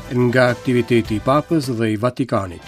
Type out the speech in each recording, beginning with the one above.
Nga aktiviteti i Papës dhe i Vatikanit.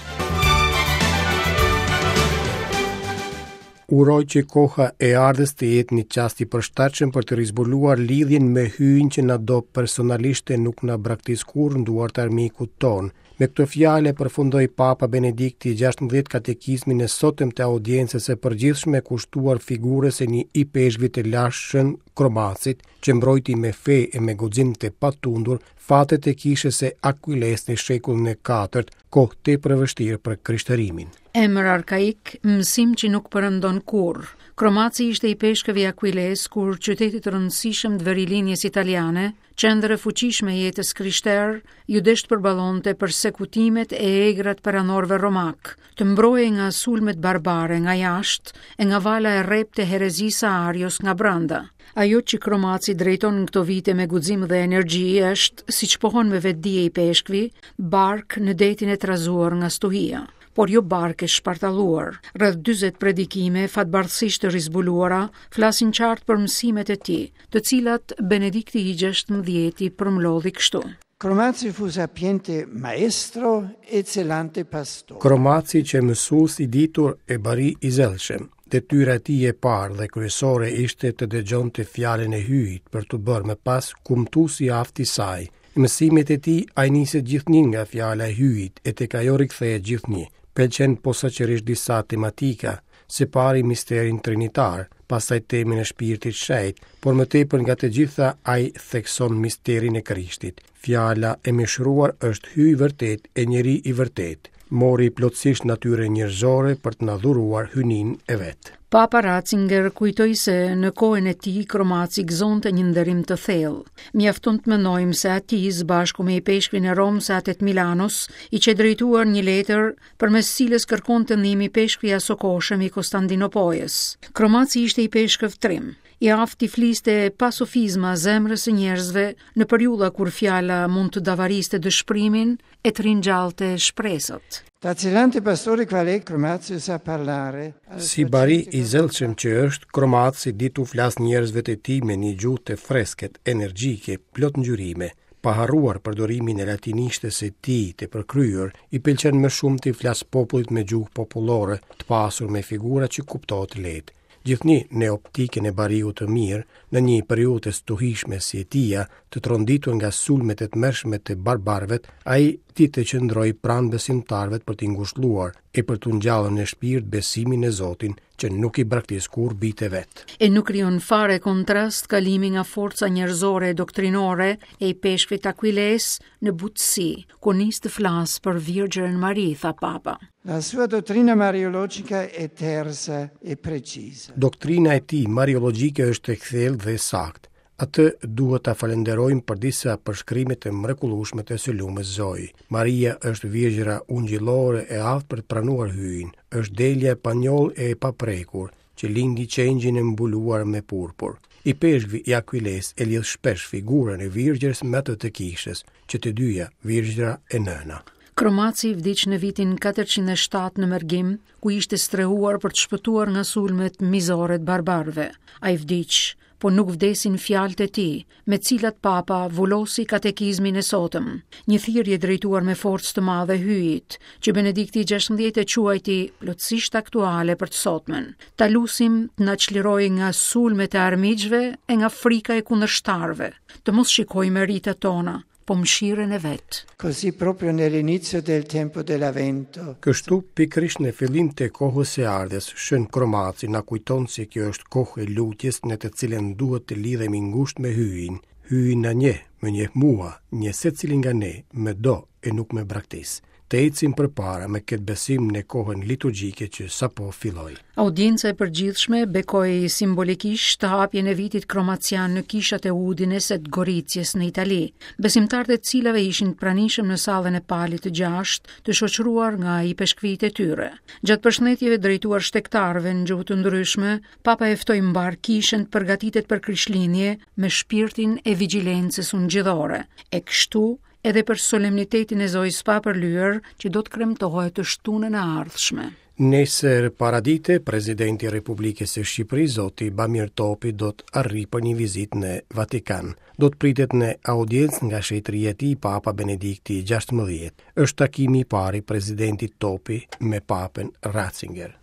Uroj që koha e ardhjes të jetë një çast i përshtatshëm për të rizbuluar lidhjen me Hyjin që na do personalisht e nuk na braktis kurrë në duart e armikut tonë. Me këto fjalë e përfundoi Papa Benedikti i 16 katekizmin e sotëm të audiencës së përgjithshme kushtuar figurës së një ipeshkvi të lashtë Shën Kromacit, që mbrojti me fe e me guxim të patundur fatet e kishës së Akuilesë në shekullin e katërt, kohë tepër e vështirë për krishtërimin. Emër arkaik, mësim që nuk perëndon kurrë. Kromaci ishte ipeshkëv i Akuilesë kur qytetit të rëndësishëm të verilindjes italiane, Qendër e fuqishme e jetës krishterë, iu desh të përballonte persekutimet e egra të perandorëve romakë, të mbrohej nga sulmet barbare nga jashtë e nga vala e rreptë e herezisë së Arios nga brenda. Ajo që Kromaci drejton në këto vite me guxim dhe energji është, siç pohon me vetëdije ipeshkvi, barkë në detin e trazuar nga stuhia por jo barkë e shpartalluar. Rreth 40 predikime, fatbardhësisht të rizbuluara, flasin qartë për mësimet e tij, të cilat Benedikti i XVI i përmblodhi kështu. Cromazi fu sapiente maestro e zelante pastore. Kromaci qe mësues i ditur e bari i zellshëm. Detyra e tij e parë dhe kryesore ishte të dëgjonte fjalën e Hyjit për t'u bërë më pas kumtues i aftë i saj. Në mësimet e tij ai niset gjithnjë nga fjala e Hyjit e tek ajo rikthehet gjithnjë. Pëlqen posaçërisht disa tematika, së pari misterin trinitar, pastaj temën e shpirtit shenjt, por më tepër nga të gjitha ai thekson misterin e Krishtit. Fjala e mishëruar është Hyj i vërtetë e njeri i vërtetë. Mori plotësisht natyrën njerëzore për të na dhuruar hyjninë e vet. Papa Ratzinger kujtoi se në kohën e tij Kromaci gëzonte një nderim të thellë. Mjafton të mendojmë se atij, së bashku me ipeshkvin e Romës e atë të Milanos, i qe drejtuar një letër përmes së cilës kërkonte ndihmë ipeshkvi i asokohshëm i Kostandinopojës. Kromaci ishte ipeshkëv trim, i aftë t'i fliste pa sofizma zemrës së njerëzve në periudha kur fjala mund të davariste dëshpërimin e të ringjallte shpresat. Da zelante pastore qual è Cromazi sa parlare. Si bari i zellshëm që është, Kromaci di t'u flasë njerëzve të tij me një gjuhë të freskët, energjike, plot ngjyrime. Pa harruar përdorimin e latinishtes së tij të përkryer, i pëlqen më shumë t'i flasë popullit me gjuhë popullore, të pasur me figura që kuptohet lehtë. Gjithnjë në optikën e bariut të mirë, në një periudhë të stuhishme si e tija, të tronditur nga sulmet e tmerrshme të barbarëve, ai di të qëndrojë pranë besimtarëve për t'i ngushëlluar e për t'u ngjallur në shpirt besimin në Zotin, që nuk i braktis kurrë bijtë e vet. E nuk krijon fare kontrast kalimi nga forca njerëzore e doktrinore e ipeshkvit të Akuilesë në butësi, kur nis të flasë për Virgjërën Mari, tha Papa. La sua dottrina mariologica è tersa e precisa. Doktrina e tij mariologjike është e kthjellët dhe e saktë. Atë duhet ta falënderojmë për disa përshkrime të mrekullueshme të së Lumës Zojë. Maria është virgjëra ungjillore e aftë për të pranuar Hyjin, është delja e panjollë e e paprekur, që lindi qengjin e mbuluar me purpur. Ipeshkvi i Akuilesë e lidh shpesh figurën e Virgjërës me atë të Kishës, që të dyja virgjëra e nëna. Kromaci vdiq në vitin 407 në mërgim, ku ishte strehuar për të shpëtuar nga sulmet mizore të barbarëve. Ai vdiq po nuk vdesin fjalët e tij, me të cilat Papa vulosi katekizmin e sotëm, një thirrje drejtuar me forcë të madhe Hyjit, që Benedikti i XVI e quajti plotësisht aktuale për të sotmen. Ta lusim të na çlirojë nga sulmet e armiqve e nga frika e kundërshtarëve, të mos shikojmë meritat tona, po mëshirën e vet. Così proprio nell'inizio del tempo dell'Avvento. Kështu, pikërisht në fillim të kohës së ardhjes, Shën Kromaci na kujton se kjo është kohë e lutjes në të cilën duhet të lidhemi ngushtë me Hyjin. Hyji na njeh, më njeh mua, njeh secilin nga ne, më do e nuk më braktis. Të ecim përpara me këtë besim në kohën liturgjike që sapo filloi. Audienca e përgjithshme bekoi simbolikisht hapjen e vitit kromacian në kishat e Udines e të Goricjes në Itali, besimtarët e të cilave ishin të pranishëm në sallën e Palit të Gjashtë, të shoqëruar nga ipeshkvijtë e tyre. Gjatë përshëndetjeve drejtuar shtegtarëve në gjuhë të ndryshme, Papa e ftoi mbarë kishën të përgatitet për Krishtlindje me shpirtin e vigjilencës ungjillore. E kështu. edhe për solemnitetin e Zojës së Papërlyer që do të kremtohet të shtunën e ardhshme. Nesër paradite, presidenti i Republikës së Shqipërisë, zoti Bamir Topi, do të arrijë për një vizitë në Vatikan. Do të pritet në audiencë nga shenjtëria e tij Papa Benedikti XVI. Është takimi i parë i presidentit Topi me Papën Ratzinger.